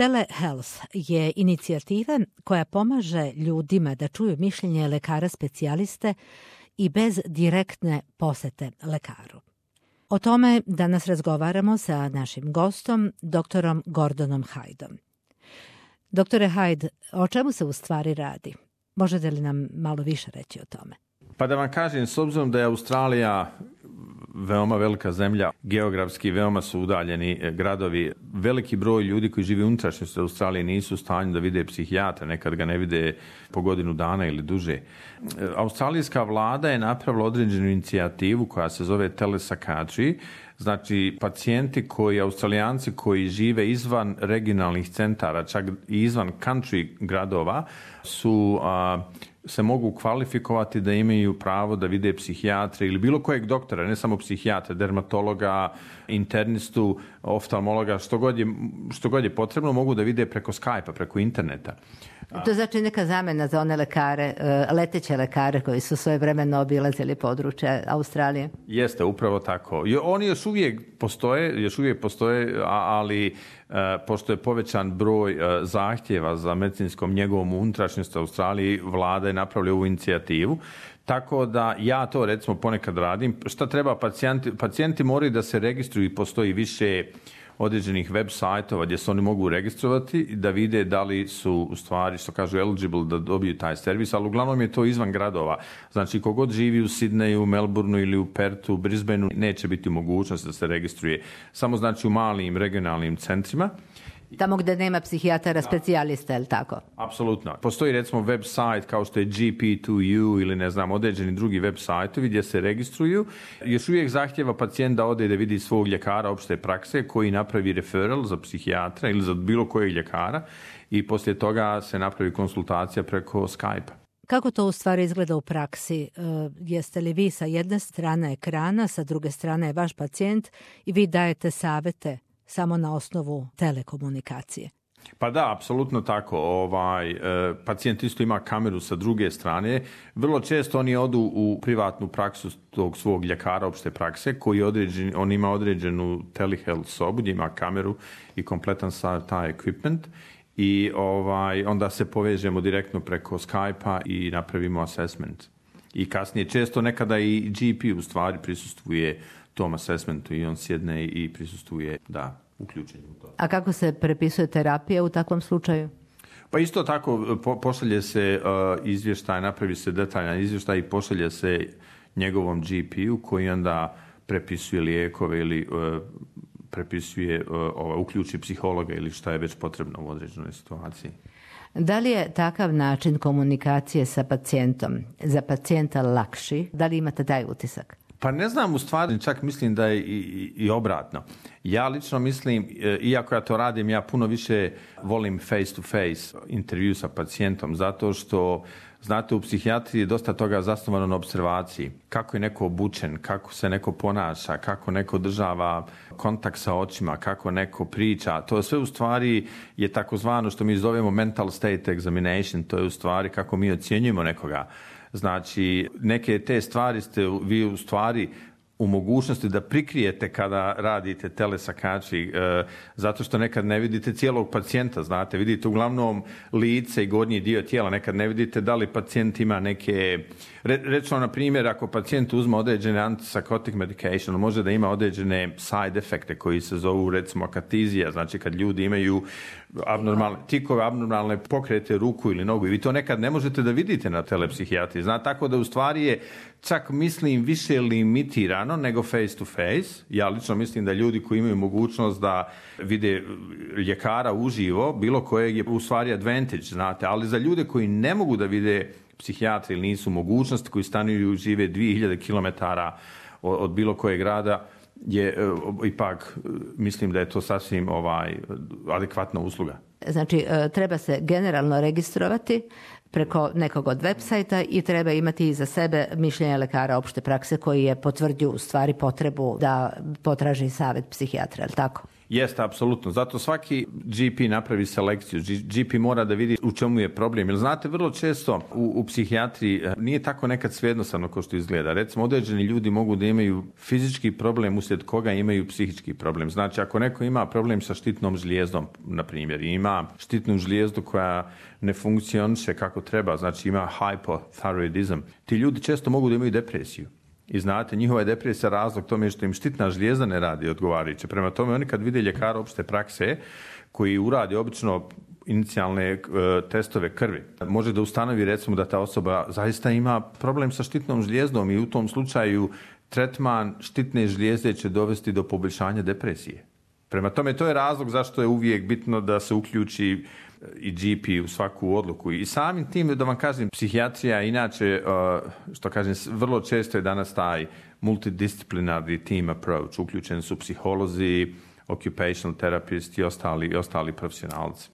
Telehealth je inicijativa koja pomaže ljudima da čuju mišljenje lekara specijaliste i bez direktne posete lekaru. O tome danas razgovaramo sa našim gostom, doktorom Gordonom Hydeom. Doktore Hyde, o čemu se u stvari radi? Možete li nam malo više reći o tome? Pa da vam kažem, s obzirom da je Australija veoma velika zemlja, geografski veoma su udaljeni gradovi, veliki broj ljudi koji žive u unutrašnjosti Australije nisu u stanju da vide psihijatra, nekad ga ne vide po godinu dana ili duže. Australijska vlada je napravila određenu inicijativu koja se zove telepsychiatry, znači pacijenti Australijanci koji žive izvan regionalnih centara, čak i izvan country gradova, se mogu kvalifikovati da imaju pravo da vide psihijatre ili bilo kojeg doktora, ne samo psihijatra, dermatologa, internistu, oftalmologa, što god je potrebno, mogu da vide preko Skype-a, preko interneta. To znači neka zamena za one lekare, leteće lekare koji su svojevremeno obilazili područje Australije? Jeste, upravo tako. Oni još uvijek postoje, ali pošto je povećan broj zahtjeva za medicinskom njegovom u unutrašnjosti Australiji, vlada je napravila ovu inicijativu. Tako da ja to recimo ponekad radim. Šta treba pacijenti? Pacijenti moraju da se registruju i postoji više određenih web sajtova gdje se oni mogu registrovati da vide da li su u stvari, što kažu, eligible da dobiju taj servis, ali uglavnom je to izvan gradova. Znači, kogod živi u Sidneju, Melbourneu ili u Perthu, Brisbaneu, neće biti mogućnost da se registruje. Samo znači u malim regionalnim centrima. Tamo gdje nema psihijatara specijalista, je li tako? Apsolutno. Postoji recimo web sajt kao što je GP2U ili određeni drugi web sajtovi gdje se registruju. Još uvijek zahtjeva pacijent da ode da vidi svog ljekara opšte prakse koji napravi referral za psihijatra ili za bilo kojeg ljekara i poslije toga se napravi konsultacija preko Skype-a. Kako to u stvari izgleda u praksi? Jeste li vi sa jedne strane ekrana, sa druge strane je vaš pacijent i vi dajete savjete samo na osnovu telekomunikacije? Pa da, apsolutno tako. Pacijent isto ima kameru sa druge strane. Vrlo često oni odu u privatnu praksu tog svog ljekara opšte prakse koji on ima određenu telehealth sobu gdje ima kameru i kompletan taj equipment i onda se povežemo direktno preko Skype-a i napravimo assessment. I kasnije često nekada i GP u stvari prisustvuje tom assessmentu i on sjedne i prisustvuje, uključen u to. A kako se prepisuje terapija u takvom slučaju? Pa isto tako pošalje se izvještaj, napravi se detaljan izvještaj i pošalje se njegovom GP-u koji onda prepisuje lijekove ili uključi psihologa ili šta je već potrebno u određenoj situaciji. Da li je takav način komunikacije sa pacijentom za pacijenta lakši? Da li imate taj utisak? Pa ne znam, u stvari čak mislim da je i obratno. Ja lično mislim, iako ja to radim, ja puno više volim face to face intervju sa pacijentom, zato što, znate, u psihijatriji je dosta toga zasnovano na observaciji. Kako je neko obučen, kako se neko ponaša, kako neko država kontakt sa očima, kako neko priča. To sve u stvari je takozvano što mi zovemo mental state examination, to je u stvari kako mi ocjenjujemo nekoga. Znači, neke te stvari ste vi u stvari u mogućnosti da prikrijete kada radite telepsychiatry, zato što nekad ne vidite cijelog pacijenta, znate, vidite uglavnom lice i gornji dio tijela, nekad ne vidite da li pacijent ima neke, recimo na primjer, ako pacijent uzme određene antipsychotic medication, može da ima određene side efekte koji se zovu recimo akatizija, znači kad ljudi imaju tikove, abnormalne pokrete ruku ili nogu i vi to nekad ne možete da vidite na telepsihijatriji. Znate, tako da u stvari je čak mislim više limitirano nego face to face. Ja lično mislim da ljudi koji imaju mogućnost da vide ljekara uživo, bilo kojeg je u stvari advantage, znate, ali za ljude koji ne mogu da vide psihijatri ili nisu mogućnosti, koji stanuju žive 2000 km od bilo kojeg grada, je ipak mislim da je to sasvim adekvatna usluga. Znači, treba se generalno registrovati preko nekog od websajta i treba imati iza sebe mišljenje lekara opšte prakse koji je potvrdio u stvari potrebu da potraži savjet psihijatra, je li tako? Jeste, apsolutno. Zato svaki GP napravi selekciju. GP mora da vidi u čemu je problem. Jer znate, vrlo često u psihijatriji nije tako nekad svejednostavno kao što izgleda. Recimo, određeni ljudi mogu da imaju fizički problem uslijed koga imaju psihički problem. Znači, ako neko ima problem sa štitnom žlijezdom, na primjer, i ima štitnu žlijezdu koja ne funkcioniše kako treba, znači ima hypothyroidism, ti ljudi često mogu da imaju depresiju. I znate, njihova je depresija razlog tome što im štitna žlijezda ne radi odgovarajuće. Prema tome, oni kad vide ljekara opšte prakse koji uradi obično inicijalne testove krvi, može da ustanovi recimo da ta osoba zaista ima problem sa štitnom žlijezdom i u tom slučaju tretman štitne žlijezde će dovesti do poboljšanja depresije. Prema tome, to je razlog zašto je uvijek bitno da se uključi i GP u svaku odluku. I samim tim, da vam kažem, psihijatrija inače, što kažem, vrlo često je danas taj multidisciplinarni team approach. Uključeni su psiholozi, occupational therapisti i ostali profesionalci.